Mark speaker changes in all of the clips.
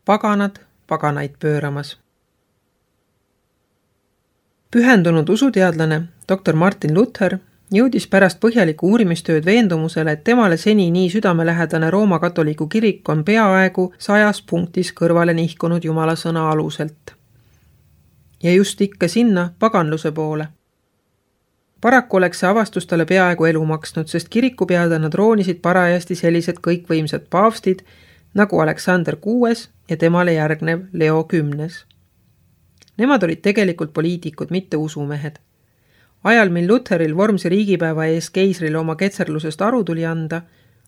Speaker 1: paganad paganaid pööramas. Pühendunud usuteadlane dr. Martin Luther jõudis pärast põhjalikku uurimistööd veendumusele, et temale seni nii südamelähedane Rooma katoliku kirik on peaaegu 100 punktis kõrvale nihkunud Jumala sõna aluselt. Ja just ikka sinna paganluse poole. Paraku oleks see avastus talle peaaegu elu maksnud, sest kirikupeadena troonisid parajasti sellised kõikvõimsad paavstid nagu Aleksander VI ja temale järgnev Leo X. Nemad olid tegelikult poliitikud, mitte usumehed. Ajal, mil Lutheril vormse riigipäeva ees keisrile oma ketserlusest aru tuli anda,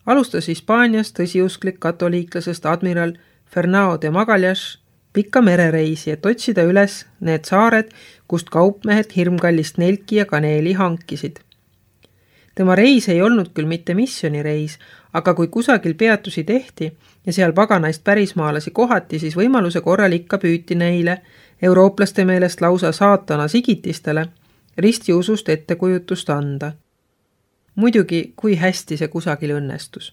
Speaker 1: alustas Hispaanias tõsiusklik katoliiklasest admiral Fernão de Magallanes pikka merereisi, et otsida üles need saared, kust kaupmehed hirmkallist nelki ja kaneeli hankisid. Tema reis ei olnud küll mitte missionireis, aga kui kusagil peatusi tehti ja seal paganaist pärismaalasi kohati, siis võimaluse korral ikka püüti neile, eurooplaste meelest lausa saatana sigitistele, ristiusust ettekujutust anda. Muidugi, kui hästi see kusagil õnnestus.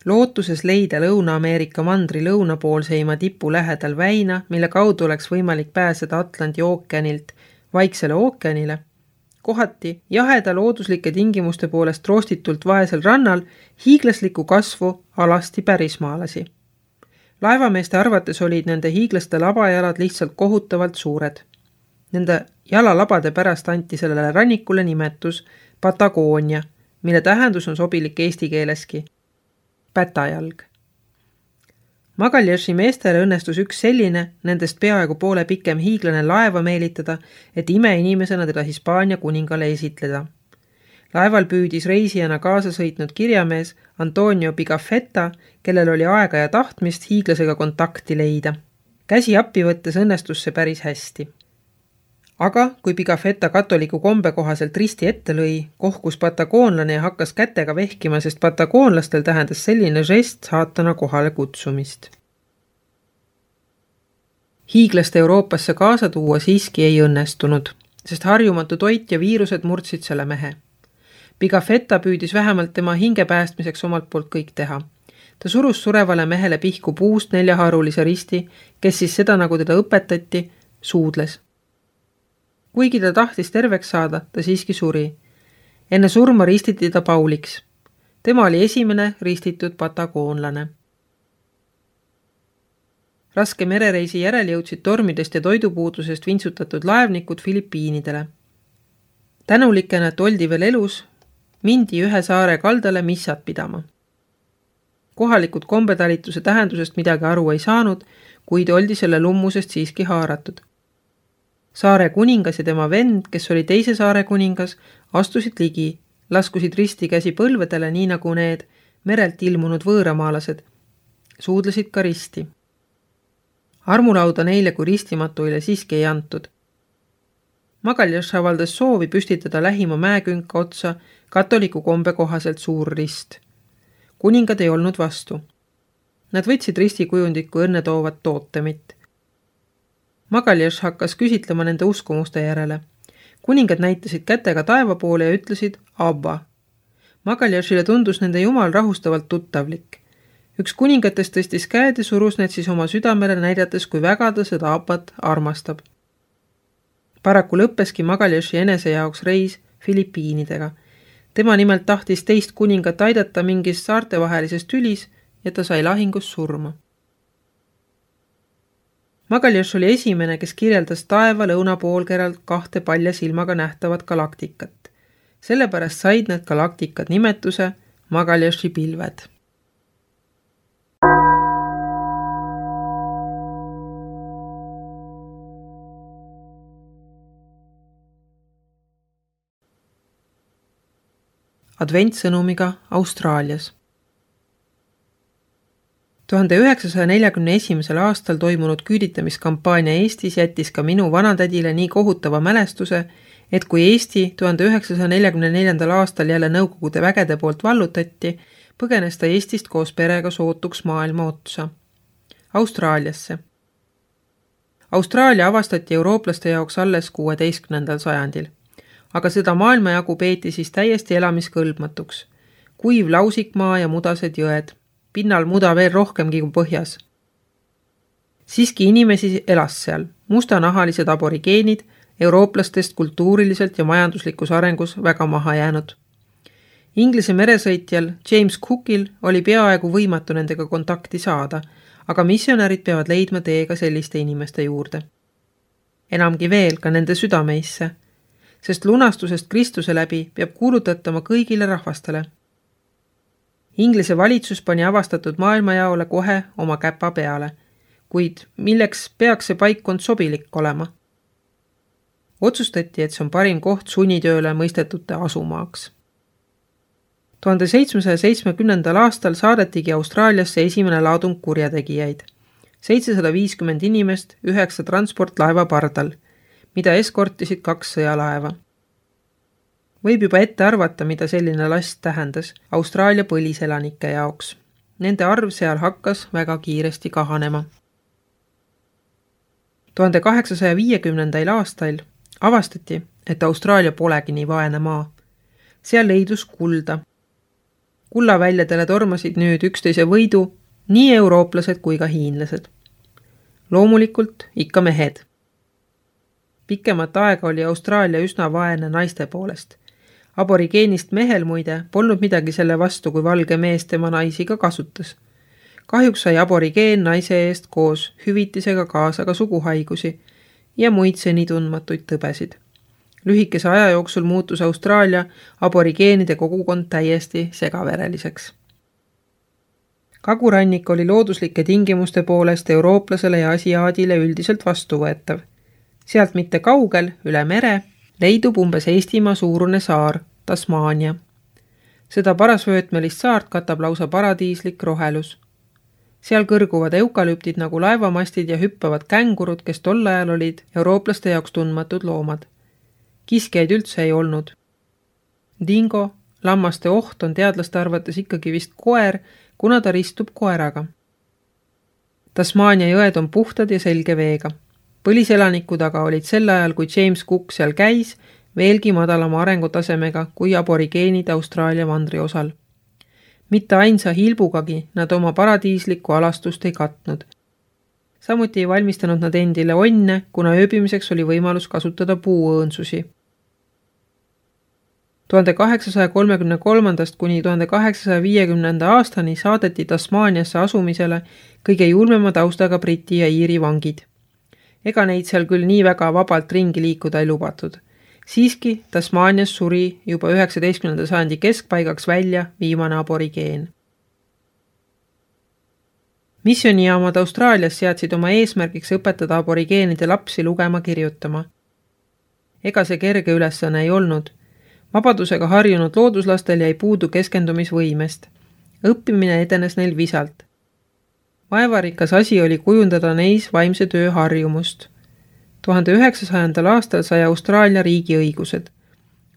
Speaker 1: Lootuses leida Lõuna-Ameerika mandri lõunapoolseima tipu lähedal väina, mille kaudu oleks võimalik pääseda Atlandi ookeanilt Vaiksele ookeanile, kohati jaheda looduslike tingimuste poolest roostitult vaesel rannal hiiglasliku kasvu alasti pärismaalasi. Laevameeste arvates olid nende hiiglaste labajalad lihtsalt kohutavalt suured. Nende jalalabade pärast anti sellele rannikule nimetus Patagoonia, mille tähendus on sobilik eesti keeleski. Pätajalg. Magallanesi meestele õnnestus üks selline, nendest peaaegu poole pikem hiiglane laeva meelitada, et imeinimesena teda Hispaania kuningale esitleda. Laeval püüdis reisijana kaasa sõitnud kirjamees Antonio Pigafetta, kellel oli aega ja tahtmist hiiglasega kontakti leida. Käsi appi võttes õnnestus see päris hästi. Aga kui Pigafetta katoliku kombe kohaselt risti ette lõi, kohkus patagoonlane ja hakkas kätega vehkima, sest patagoonlastel tähendas selline žest saatana kohale kutsumist. Hiiglast Euroopasse kaasa tuua siiski ei õnnestunud, sest harjumatu toit ja viirused murdsid selle mehe. Pigafetta püüdis vähemalt tema hinge päästmiseks omalt poolt kõik teha. Ta surus surevale mehele pihku puust 4-harulise risti, kes siis seda, nagu teda õpetati, suudles. Kuigi ta tahtis terveks saada, ta siiski suri. Enne surma ristiti ta Pauliks. Tema oli esimene ristitud patagoonlane. Raske merereisi järel jõudsid tormidest ja toidupuudusest vintsutatud laevnikud Filipiinidele. Tänulikena, et oldi veel elus, mindi ühe saare kaldale missat pidama. Kohalikud kombetalituse tähendusest midagi aru ei saanud, kuid oldi selle lummusest siiski haaratud. Saare kuningas ja tema vend, kes oli teise saare kuningas, astusid ligi, laskusid risti käsi põlvedele, nii nagu need merelt ilmunud võõramaalased, suudlesid ka risti. Armulauda neile kui ristimatuile siiski ei antud. Magallanesi avaldas soovi püstitada lähima mäekünka otsa katoliku kombe kohaselt suur rist. Kuningad ei olnud vastu. Nad võtsid ristikujundit kui õnnetoovat tootemit. Magallanesi hakkas küsitlema nende uskumuste järele. Kuningad näitasid kätega taeva poole ja ütlesid Abba. Magallanesiile tundus nende jumal rahustavalt tuttavlik. Üks kuningatest tõstis käed ja surus need siis oma südamele näidates, kui väga ta seda Abbat armastab. Paraku lõppeski Magallanesi enese jaoks reis Filipiinidega. Tema nimelt tahtis teist kuningat aidata mingis saartevahelises tülis ja ta sai lahingus surma. Magallanesi oli esimene, kes kirjeldas taeva lõunapoolkeralt 2 palja silmaga nähtavat galaktikat. Sellepärast said need galaktikad nimetuse Magallanesi pilved. Adventsõnumiga Austraalias. 1941. aastal toimunud küüditamiskampaania Eestis jättis ka minu vanatädile nii kohutava mälestuse, et kui Eesti 1944. aastal jälle Nõukogude vägede poolt vallutati, põgenes ta Eestist koos perega sootuks maailma otsa. Austraaliasse. Austraalia avastati eurooplaste jaoks alles 16. sajandil, aga seda maailmajagu peeti siis täiesti elamiskõlbmatuks. Kuiv lausikmaa ja mudased jõed. Pinnal muda veel rohkemgi kui põhjas. Siiski inimesi elas seal, mustanahalised aborigeenid, eurooplastest kultuuriliselt ja majanduslikus arengus väga maha jäänud. Inglise meresõitjal James Cookil oli peaaegu võimatu nendega kontakti saada, aga missionärid peavad leidma teega selliste inimeste juurde. Enamgi veel ka nende südameisse, sest lunastusest Kristuse läbi peab kuulutatama kõigile rahvastele. Inglise valitsus pani avastatud maailmajaole kohe oma käpa peale, kuid milleks peaks see paikkond sobilik olema? Otsustati, et see on parim koht sunnitööle mõistetute asumaaks. 1770. aastal saadetigi Austraaliasse esimene laadung kurjategijaid. 750 inimest 9 transportlaeva pardal, mida eskortisid 2 sõjalaeva. Võib juba ette arvata, mida selline last tähendas Austraalia põliselanike jaoks. Nende arv seal hakkas väga kiiresti kahanema. 1850. aastail avastati, et Austraalia polegi nii vaene maa. Seal leidus kulda. Kullaväljadele tormasid nüüd üksteise võidu nii eurooplased kui ka hiinlased. Loomulikult ikka mehed. Pikemat aega oli Austraalia üsna vaene naiste poolest. Aborigeenist mehel muide polnud midagi selle vastu, kui valge mees tema naisi ka kasutas. Kahjuks sai aborigeen naise eest koos hüvitisega kaasa ka suguhaigusi ja muid seni tundmatuid tõbesid. Lühikese aja jooksul muutus Austraalia aborigeenide kogukond täiesti segavereliseks. Kagurannik oli looduslike tingimuste poolest eurooplasele ja asiaadile üldiselt vastuvõetav. Sealt mitte kaugel, üle mere, leidub umbes Eestimaa suurune saar, Tasmaania. Seda parasvöötmelist saart katab lausa paradiislik rohelus. Seal kõrguvad eukalüptid nagu laevamastid ja hüppavad kängurud, kes tol ajal olid eurooplaste jaoks tundmatud loomad. Kiskjaid üldse ei olnud. Dingo, lammaste oht on teadlaste arvates ikkagi vist koer, kuna ta ristub koeraga. Tasmaania jõed on puhtad ja selge veega. Põliselanikud aga olid sel ajal, kui James Cook seal käis, veelgi madalama arengutasemega kui aborigeenid Austraalia mandriosal. Mitte ainsa hilbugagi nad oma paradiislikku alastust ei katnud. Samuti ei valmistanud nad endile onne, kuna ööbimiseks oli võimalus kasutada puuõõnsusi. 1833. kuni 1850. aastani saadeti Tasmaaniasse asumisele kõige julmema taustaga Briti ja Iiri vangid. Ega neid seal küll nii väga vabalt ringi liikuda ei lubatud. Siiski Tasmaanias suri juba 19. sajandi keskpaigaks välja viimane aborigeen. Missionijaamad Austraalias seadsid oma eesmärgiks õpetada aborigeenide lapsi lugema kirjutama. Ega see kerge ülesanne ei olnud. Vabadusega harjunud looduslastel jäi puudu keskendumisvõimest. Õppimine edenes neil visalt. Vaevarikas asi oli kujundada neis vaimse töö harjumust. 1900. aastal sai Austraalia riigiõigused.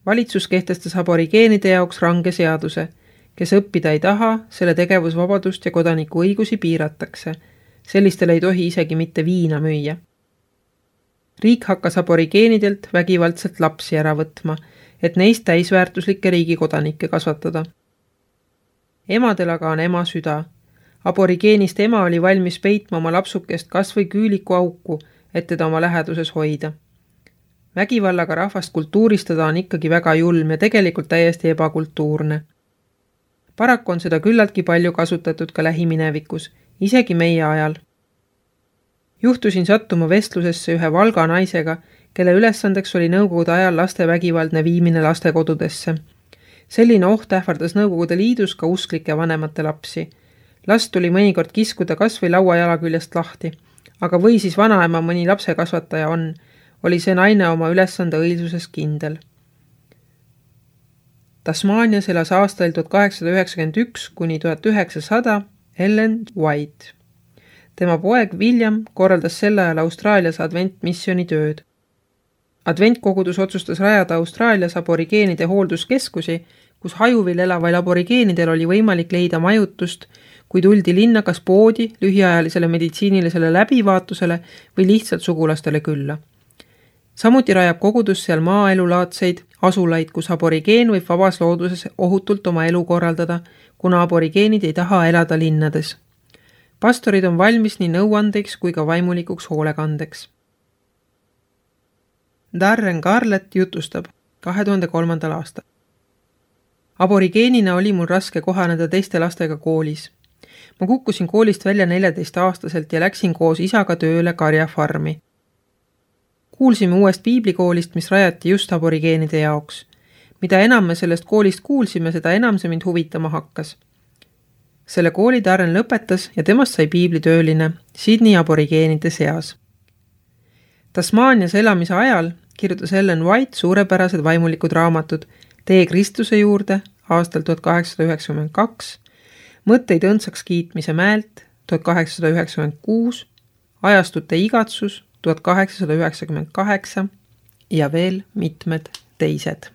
Speaker 1: Valitsus kehtestas aborigeenide jaoks range seaduse. Kes õppida ei taha, selle tegevusvabadust ja kodaniku õigusi piiratakse. Sellistel ei tohi isegi mitte viina müüa. Riik hakkas aborigeenidelt vägivaldselt lapsi ära võtma, et neist täisväärtuslikke riigikodanikke kasvatada. Emadel aga on ema süda. Aborigeenist ema oli valmis peitma oma lapsukest kas või küüliku auku, et teda oma läheduses hoida. Vägivallaga rahvast kultuuristada on ikkagi väga julm ja tegelikult täiesti ebakultuurne. Paraku on seda küllaltki palju kasutatud ka lähiminevikus, isegi meie ajal. Juhtusin sattuma vestlusesse ühe Valga naisega, kelle ülesandeks oli nõukogude ajal laste vägivaldne viimine lastekodudesse. Selline oht ähvardas Nõukogude Liidus ka usklike vanemate lapsi. Last tuli mõnikord kiskuda kas või lauajala küljest lahti, aga või siis vanaema mõni lapsekasvataja oli see naine oma ülesande õilsuses kindel. Tasmaanias elas aastail 1891 kuni 1900 Ellen White. Tema poeg William korraldas sel ajal Austraalias adventmissioni tööd. Adventkogudus otsustas rajada Austraalias aborigeenide hoolduskeskusi, kus hajuvil elavail aborigeenidel oli võimalik leida majutust, kui tuldi linna kas poodi, lühiajalisele meditsiinilisele läbivaatusele või lihtsalt sugulastele külla. Samuti rajab kogudus seal maaelulaadseid asulaid, kus aborigeen võib vabas looduses ohutult oma elu korraldada, kuna aborigeenid ei taha elada linnades. Pastorid on valmis nii nõuandeks kui ka vaimulikuks hoolekandeks. Darren Garlett jutustab 2003. aastal. Aborigeenina oli mul raske kohaneda teiste lastega koolis. Ma kukkusin koolist välja 14-aastaselt ja läksin koos isaga tööle karjafarmi. Kuulsime uuest piiblikoolist, mis rajati just aborigeenide jaoks. Mida enam me sellest koolist kuulsime, seda enam see mind huvitama hakkas. Selle kooli Darren lõpetas ja temast sai piiblitööline Sydney aborigeenide seas. Tasmaanias elamise ajal kirjutas Ellen White suurepärased vaimulikud raamatud Tee Kristuse juurde aastal 1892, Mõtteid õndsaks kiitmise mäelt 1896, Ajastute igatsus 1898 ja veel mitmed teised.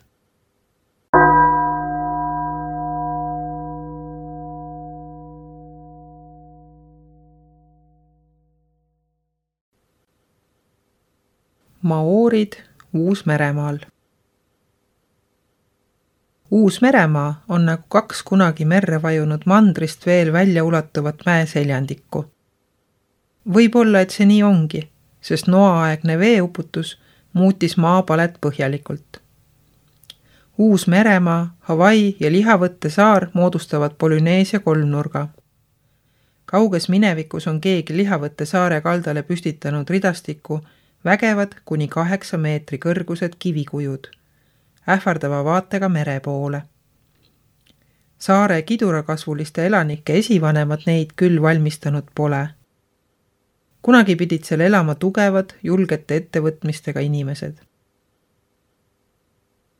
Speaker 1: Maoorid Uus-Meremaal. Uus-Meremaa on nagu 2 kunagi merre vajunud mandrist veel välja ulatuvat mäeseljandikku. Võib-olla, et see nii ongi, sest noaaegne veeuputus muutis maapalet põhjalikult. Uus-Meremaa, Hawaii ja Lihavõtte saar moodustavad Polüneesia kolmnurga. Kauges minevikus on keegi Lihavõtte saare kaldale püstitanud ridastiku vägevad kuni 8 meetri kõrgused kivikujud, ähvardava vaatega mere poole. Saare kidurakasvuliste elanike esivanemad neid küll valmistanud pole. Kunagi pidid seal elama tugevad, julgete ettevõtmistega inimesed.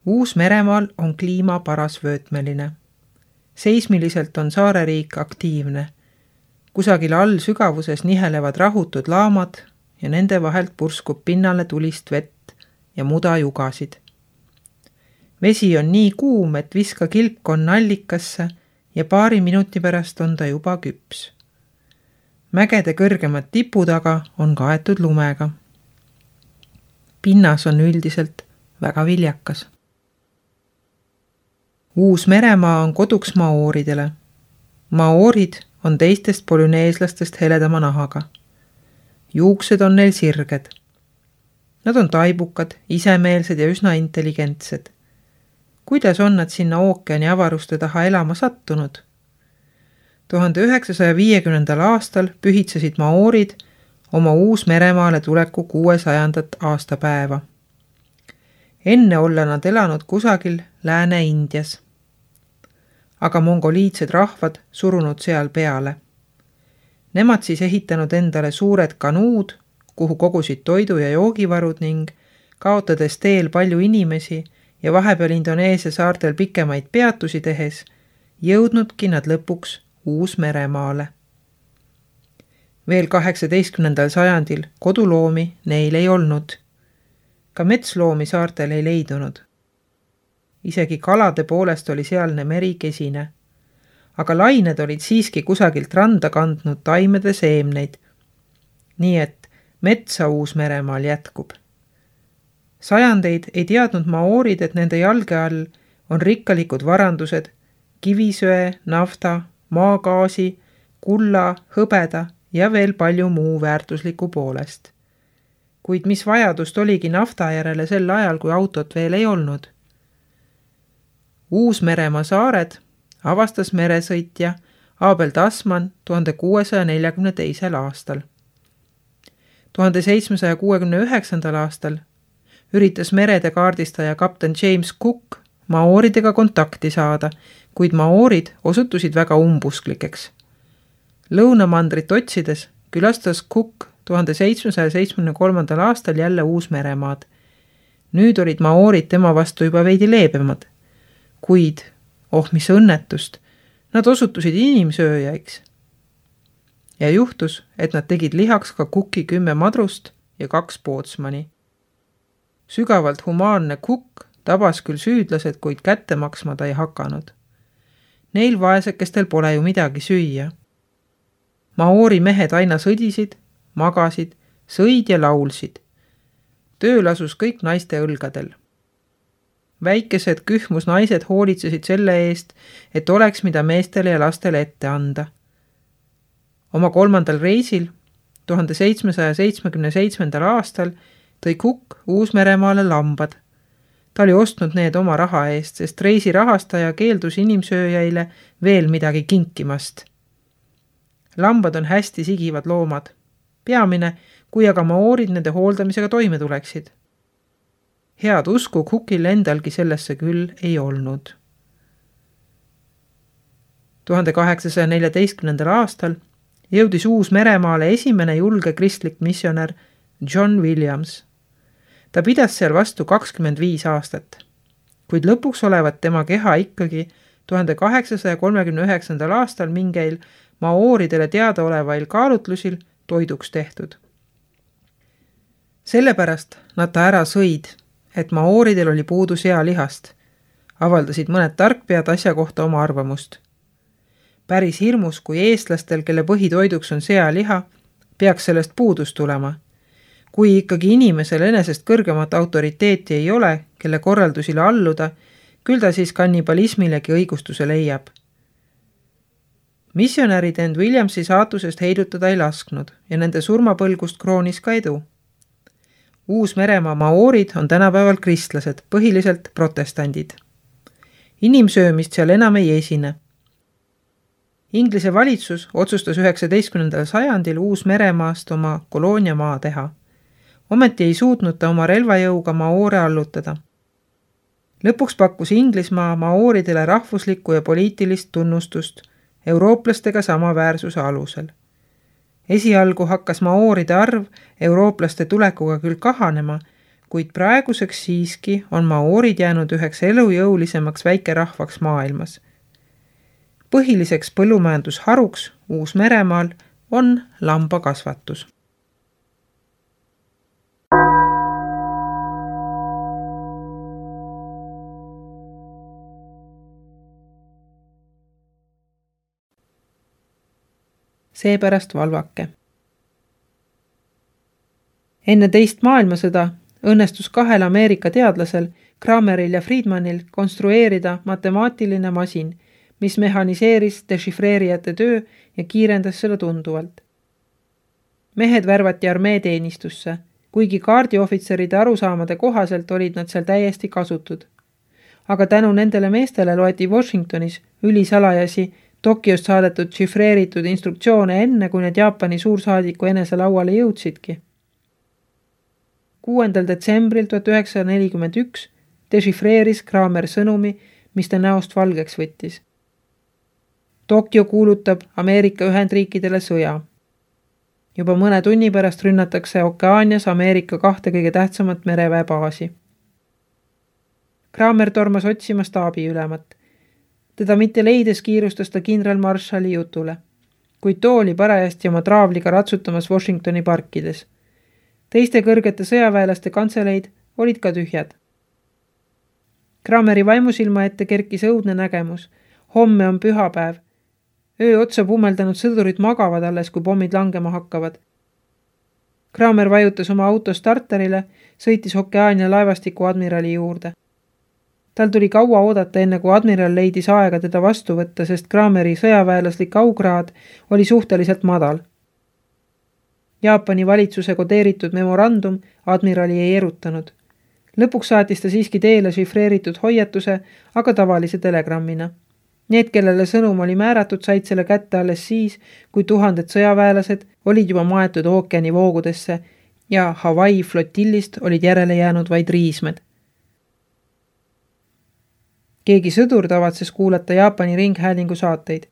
Speaker 1: Uus-Meremaal on kliima parasvöötmeline. Seismiliselt on saareriik aktiivne. Kusagil all sügavuses nihelevad rahutud laamad ja nende vahelt purskub pinnale tulist vett ja mudajugasid. Vesi on nii kuum, et viska kilk on allikasse ja paari minuti pärast on ta juba küps. Mägede kõrgemad tipud aga on kaetud lumega. Pinnas on üldiselt väga viljakas. Uus-Meremaa on koduks maooridele. Maoorid on teistest polüneeslastest heledama nahaga. Juuksed on neil sirged. Nad on taibukad, isemeelsed ja üsna intelligentsed. Kuidas on nad sinna ookeani avaruste taha elama sattunud? 1950. aastal pühitsesid maoorid oma Uus-Meremaale tuleku 600. aastapäeva. Enne olla nad elanud kusagil Lääne-Indias. Aga mongoliidsed rahvad surunud seal peale. Nemad siis ehitanud endale suured kanuud, kuhu kogusid toidu ja joogivarud ning kaotades teel palju inimesi ja vahepeal Indoneesia saartel pikemaid peatusi tehes, jõudnudki nad lõpuks Uus-Meremaale. Veel 18. sajandil koduloomi neil ei olnud. Ka metsloomi saartel ei leidunud. Isegi kalade poolest oli sealne meri kesine. Aga lained olid siiski kusagilt randa kandnud taimede seemneid. Nii et metsa Uus-Meremaal jätkub. Sajandeid ei teadnud maoorid, et nende jalge all on rikkalikud varandused, kivisöe, nafta, maagaasi, kulla, hõbeda ja veel palju muu väärtusliku poolest. Kuid mis vajadust oligi nafta järele sel ajal, kui autot veel ei olnud? Uus-Meremaa saared avastas meresõitja Abel Tasman 1642. aastal. 1769. aastal üritas merede kaardistaja kapten James Cook maooridega kontakti saada, kuid maoorid osutusid väga umbusklikeks. Lõunamandrit otsides külastas Cook 1773. aastal jälle Uus-Meremaad. Nüüd olid maoorid tema vastu juba veidi leebemad, kuid, mis õnnetust, nad osutusid inimsööjaiks. Ja juhtus, et nad tegid lihaks ka Cooki 10 madrust ja 2 pootsmani. Sügavalt humaanne Cook tabas küll süüdlased, kuid kätte maksma ta ei hakanud. Neil vaesekestel pole ju midagi süüa. Maoori mehed aina sõdisid, magasid, sõid ja laulsid. Töö lasus kõik naiste õlgadel. Väikesed kühmus naised hoolitsesid selle eest, et oleks mida meestele ja lastele ette anda. Oma 3. reisil 1777. aastal tõi Cook Uus-Meremaale lambad. Ta oli ostnud need oma raha eest, sest reisi rahastaja keeldus inimsööjaile veel midagi kinkimast. Lambad on hästi sigivad loomad. Peamine, kui aga maoorid nende hooldamisega toime tuleksid. Head usku Cookil endalgi sellesse küll ei olnud. 1814. aastal jõudis Uus-Meremaale esimene julge kristlik missionär John Williams. Ta pidas seal vastu 25 aastat, kuid lõpuks olevat tema keha ikkagi 1839. aastal mingeil maooridele teadaolevail kaalutlusil toiduks tehtud. Sellepärast nad ta ära sõid, et maooridel oli puudu sealihast, avaldasid mõned tarkpead asja kohta oma arvamust. Päris hirmus, kui eestlastel, kelle põhitoiduks on sealiha, peaks sellest puudus tulema. Kui ikkagi inimesel enesest kõrgemat autoriteeti ei ole, kelle korraldusile alluda, küll ta siis kannibalismilegi õigustuse leiab. Missionärid end Williamsi saatusest heidutada ei lasknud ja nende surmapõlgust kroonis ka edu. Uus-Meremaa maoorid on tänapäeval kristlased, põhiliselt protestandid. Inimsöömist seal enam ei esine. Inglise valitsus otsustas 19. sajandil Uus-Meremaast oma kolooniamaa teha. Ometi ei suutnud ta oma relvajõuga maoore allutada. Lõpuks pakkus Inglismaa maooridele rahvuslikku ja poliitilist tunnustust eurooplastega samaväärsuse alusel. Esialgu hakkas maooride arv eurooplaste tulekuga küll kahanema, kuid praeguseks siiski on maoorid jäänud üheks elujõulisemaks väikerahvaks maailmas. Põhiliseks põllumajandusharuks Uus-Meremaal on lambakasvatus. Seepärast valvake. Enne teist maailmasõda õnnestus 2 Ameerika teadlasel, Krameril ja Friedmanil, konstrueerida matemaatiline masin, mis mehaniseeris dešifreerijate töö ja kiirendas seda tunduvalt. Mehed värvati armeeteenistusse, kuigi kaardiohvitseride arusaamade kohaselt olid nad seal täiesti kasutud. Aga tänu nendele meestele loeti Washingtonis ülisalajasi Tokyost saadetud šifreeritud instruktsioone enne, kui need Jaapani suursaadiku enese lauale jõudsidki. 6. detsembril 1941 dešifreeris Kramer sõnumi, mis ta näost valgeks võttis. Tokyo kuulutab Ameerika Ühendriikidele sõja. Juba mõne tunni pärast rünnatakse Okeaanias Ameerika 2 kõige tähtsamat mereväebaasi. Kramer tormas otsima staabiülemat. Teda mitte leides kiirustas ta kindralmaršali jutule, kuid too oli parajasti oma traavliga ratsutamas Washingtoni parkides. Teiste kõrgete sõjaväelaste kantseleid olid ka tühjad. Krameri vaimusilma ette kerkis õudne nägemus. Homme on pühapäev. Öö otsa pummeldanud sõdurid magavad alles, kui pommid langema hakkavad. Kramer vajutas oma auto starterile, sõitis Okeaania laevastiku admirali juurde. Tal tuli kaua oodata enne, kui admiral leidis aega teda vastu võtta, sest Krameri sõjaväelaslik augraad oli suhteliselt madal. Jaapani valitsuse kodeeritud memorandum admirali ei erutanud. Lõpuks saatis ta siiski teele šifreeritud hoiatuse, aga tavalise telegrammina. Need, kellele sõnum oli määratud, said selle kätte alles siis, kui 1000 sõjaväelased olid juba maetud ookeani voogudesse ja Hawaii flotillist olid järele jäänud vaid riismed. Keegi sõdur tavatses kuulata Jaapani ringhäälingu saateid.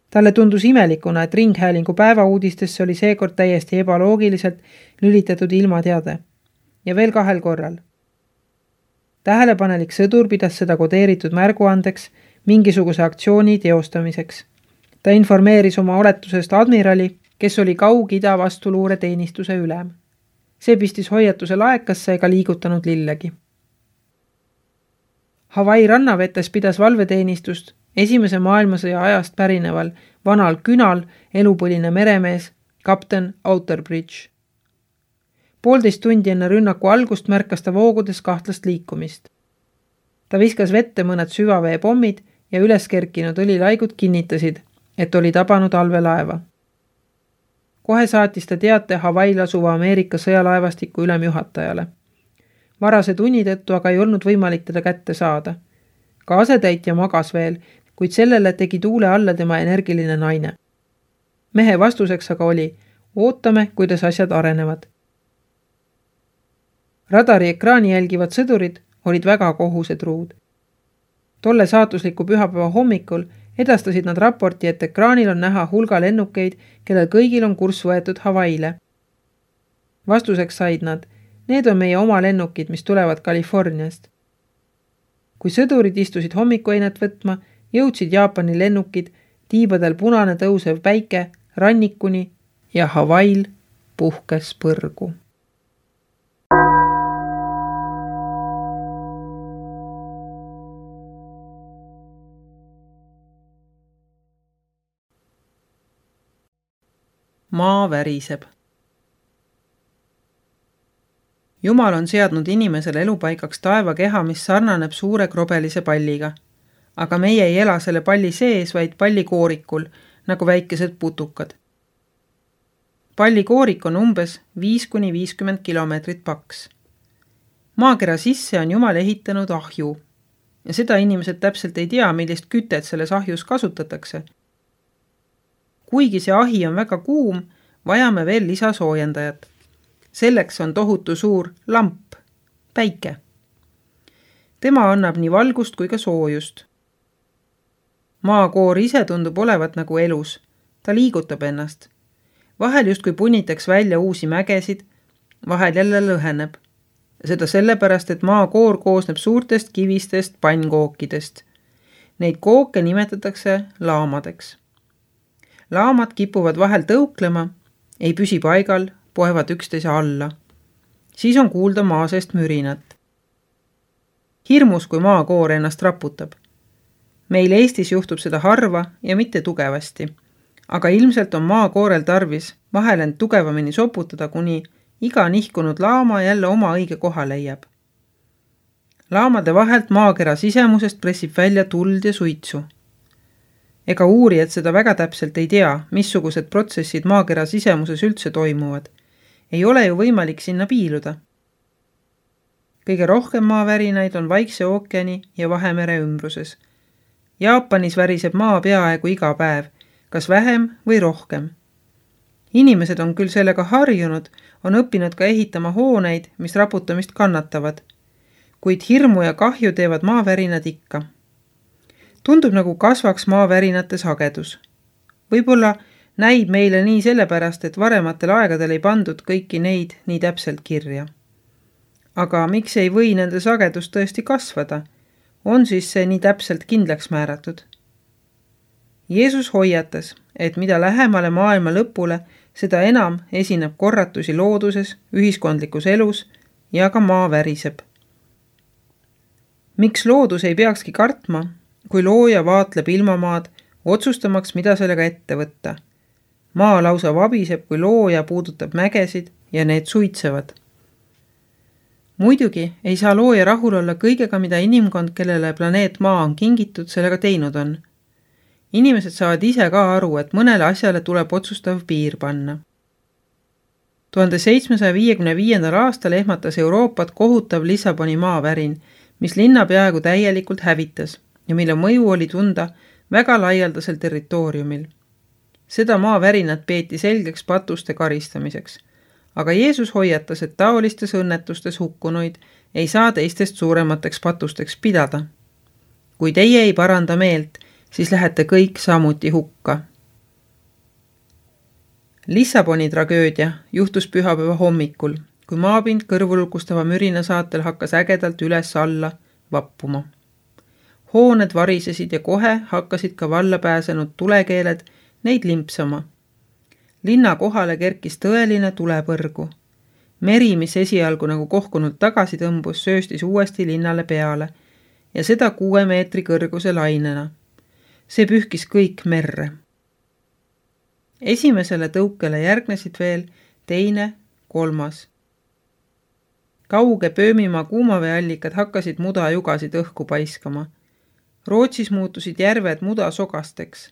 Speaker 1: Talle tundus imelikuna, et ringhäälingu päevauudistesse oli seekord täiesti ebaloogiliselt lülitatud ilmateade. Ja veel 2 korral. Tähelepanelik sõdur pidas seda kodeeritud märguandeks mingisuguse aktsiooni teostamiseks. Ta informeeris oma oletusest admirali, kes oli Kaug-Ida vastuluure teenistuse ülem. See pistis hoiatuse laekasse ega liigutanud lillegi. Hawaii rannavetes pidas valveteenistust 1. maailmasõja ajast pärineval vanal künal elupõline meremees kapten Outerbridge. 1,5 tundi enne rünnaku algust märkas ta voogudes kahtlast liikumist. Ta viskas vette mõned süvaveepommid ja üles kerkinud õlilaigud kinnitasid, et oli tabanud allveelaeva. Kohe saatis ta teate Hawaii'l asuva Ameerika sõjalaevastiku ülemjuhatajale. Varase tunni tõttu aga ei olnud võimalik teda kätte saada. Ka asetäitja magas veel, kuid sellele tegi tuule alla tema energiline naine. Mehe vastuseks aga oli, ootame, kuidas asjad arenevad. Radari ekraani jälgivad sõdurid olid väga kohusetruud. Tolle saatusliku pühapäeva hommikul edastasid nad raporti, et ekraanil on näha hulga lennukeid, kellel kõigil on kurss võetud Hawaii'le. Vastuseks said nad, need on meie oma lennukid, mis tulevad Californiast. Kui sõdurid istusid hommikueinet võtma, jõudsid Jaapani lennukid, tiibadel punane tõusev päike, rannikuni ja Hawaii'l puhkes põrgu. Maa väriseb. Jumal on seadnud inimesele elupaigaks taevakeha, mis sarnaneb suure krobelise palliga. Aga meie ei ela selle palli sees, vaid pallikoorikul, nagu väikesed putukad. Pallikoorik on umbes 5–50 kilomeetrit paks. Maakera sisse on Jumal ehitanud ahju. Ja seda inimesed täpselt ei tea, millist kütet selles ahjus kasutatakse. Kuigi see ahi on väga kuum, vajame veel lisasoojendajat. Selleks on tohutu suur lamp, päike. Tema annab nii valgust kui ka soojust. Maakoor ise tundub olevat nagu elus. Ta liigutab ennast. Vahel justkui punnitaks välja uusi mägesid, vahel jälle lõheneb. Seda sellepärast, et maakoor koosneb suurtest kivistest pannkookidest. Neid kooke nimetatakse laamadeks. Laamad kipuvad vahel tõuklema, ei püsi paigal, poevad üksteise alla. Siis on kuulda maa seest mürinat. Hirmus, kui maakoor ennast raputab. Meil Eestis juhtub seda harva ja mitte tugevasti, aga ilmselt on maakoorel tarvis vahel end tugevamini soputada, kuni iga nihkunud laama jälle oma õige koha leiab. Laamade vahelt maakera sisemusest pressib välja tuld ja suitsu. Ega uurijad seda väga täpselt ei tea, missugused protsessid maakera sisemuses üldse toimuvad. Ei ole ju võimalik sinna piiluda. Kõige rohkem maavärinaid on Vaikse ookeani ja Vahemere ümbruses. Jaapanis väriseb maa peaaegu iga päev, kas vähem või rohkem. Inimesed on küll sellega harjunud, on õppinud ka ehitama hooneid, mis raputamist kannatavad. Kuid hirmu ja kahju teevad maavärinad ikka. Tundub nagu kasvaks maavärinate sagedus. Võib-olla näib meile nii sellepärast, et varematel aegadel ei pandud kõiki neid nii täpselt kirja. Aga miks ei või nende sagedus tõesti kasvada? On siis see nii täpselt kindlaks määratud? Jeesus hoiatas, et mida lähemale maailma lõpule, seda enam esineb korratusi looduses, ühiskondlikus elus ja ka maa väriseb. Miks loodus ei peakski kartma, kui looja vaatleb ilmamaad, otsustamaks, mida sellega ette võtta? Maa lausa vabiseb, kui looja puudutab mägesid ja need suitsevad. Muidugi ei saa looja rahul olla kõigega, mida inimkond, kellele planeet Maa on kingitud, sellega teinud on. Inimesed saavad ise ka aru, et mõnele asjale tuleb otsustav piir panna. 1755. aastal ehmatas Euroopat kohutav Lissaboni maavärin, mis linna peaaegu täielikult hävitas ja mille mõju oli tunda väga laialdasel territooriumil. Seda maavärinat peeti selgeks patuste karistamiseks. Aga Jeesus hoiatas, et taolistes õnnetustes hukkunuid ei saa teistest suuremateks patusteks pidada. Kui teie ei paranda meelt, siis lähete kõik samuti hukka. Lissaboni tragöödia juhtus pühapäeva hommikul, kui maapind kõrvulukustava mürina saatel hakkas ägedalt üles-alla vappuma. Hooned varisesid ja kohe hakkasid ka valla pääsenud tulekeeled neid limpsama. Linna kohale kerkis tõeline tulepõrgu. Meri, mis esialgu nagu kohkunud tagasi tõmbus, sööstis uuesti linnale peale ja seda 6 meetri kõrguse lainena. See pühkis kõik merre. Esimesele tõukele järgnesid veel teine, 3. Kauge Pöömimaa kuumaveeallikad hakkasid mudajugasid õhku paiskama. Rootsis muutusid järved mudasogasteks.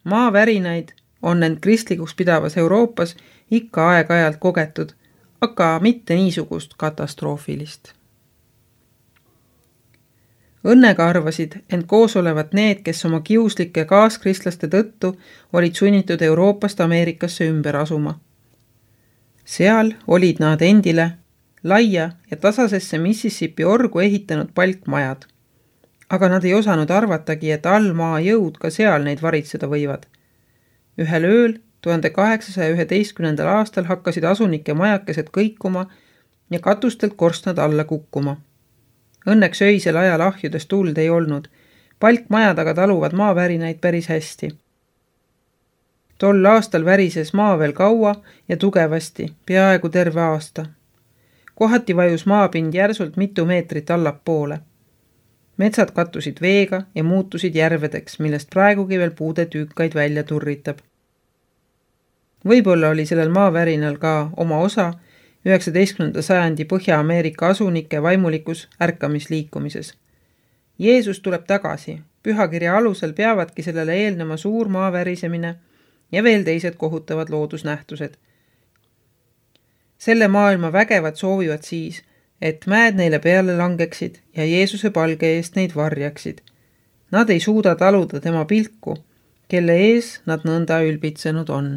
Speaker 1: Maavärinaid on end kristlikuks pidavas Euroopas ikka aeg-ajalt kogetud, aga mitte niisugust katastroofilist. Õnnega arvasid end koos olevat need, kes oma kiuslike kaaskristlaste tõttu olid sunnitud Euroopast Ameerikasse ümber asuma. Seal olid nad endile laia ja tasasesse Mississippi orgu ehitanud palkmajad, aga nad ei osanud arvatagi, et allmaa jõud ka seal neid varitseda võivad. Ühel ööl 1811. aastal hakkasid asunike majakesed kõikuma ja katustelt korstnad alla kukkuma. Õnneks öisel ajal ahjudes tuld ei olnud. Palkmajad aga taluvad maavärinaid päris hästi. Tol aastal värises maa veel kaua ja tugevasti, peaaegu terve aasta. Kohati vajus maapind järsult mitu meetrit allapoole. Metsad kattusid veega ja muutusid järvedeks, millest praegugi veel puude tüükaid välja turritab. Võib-olla oli sellel maavärinal ka oma osa 19. sajandi Põhja-Ameerika asunike vaimulikus ärkamisliikumises. Jeesus tuleb tagasi. Pühakirja alusel peavadki sellele eelnema suur maavärisemine ja veel teised kohutavad loodusnähtused. Selle maailma vägevad soovivad siis, et mäed neile peale langeksid ja Jeesuse palge eest neid varjaksid. Nad ei suuda taluda tema pilku, kelle ees nad nõnda ülbitsenud on.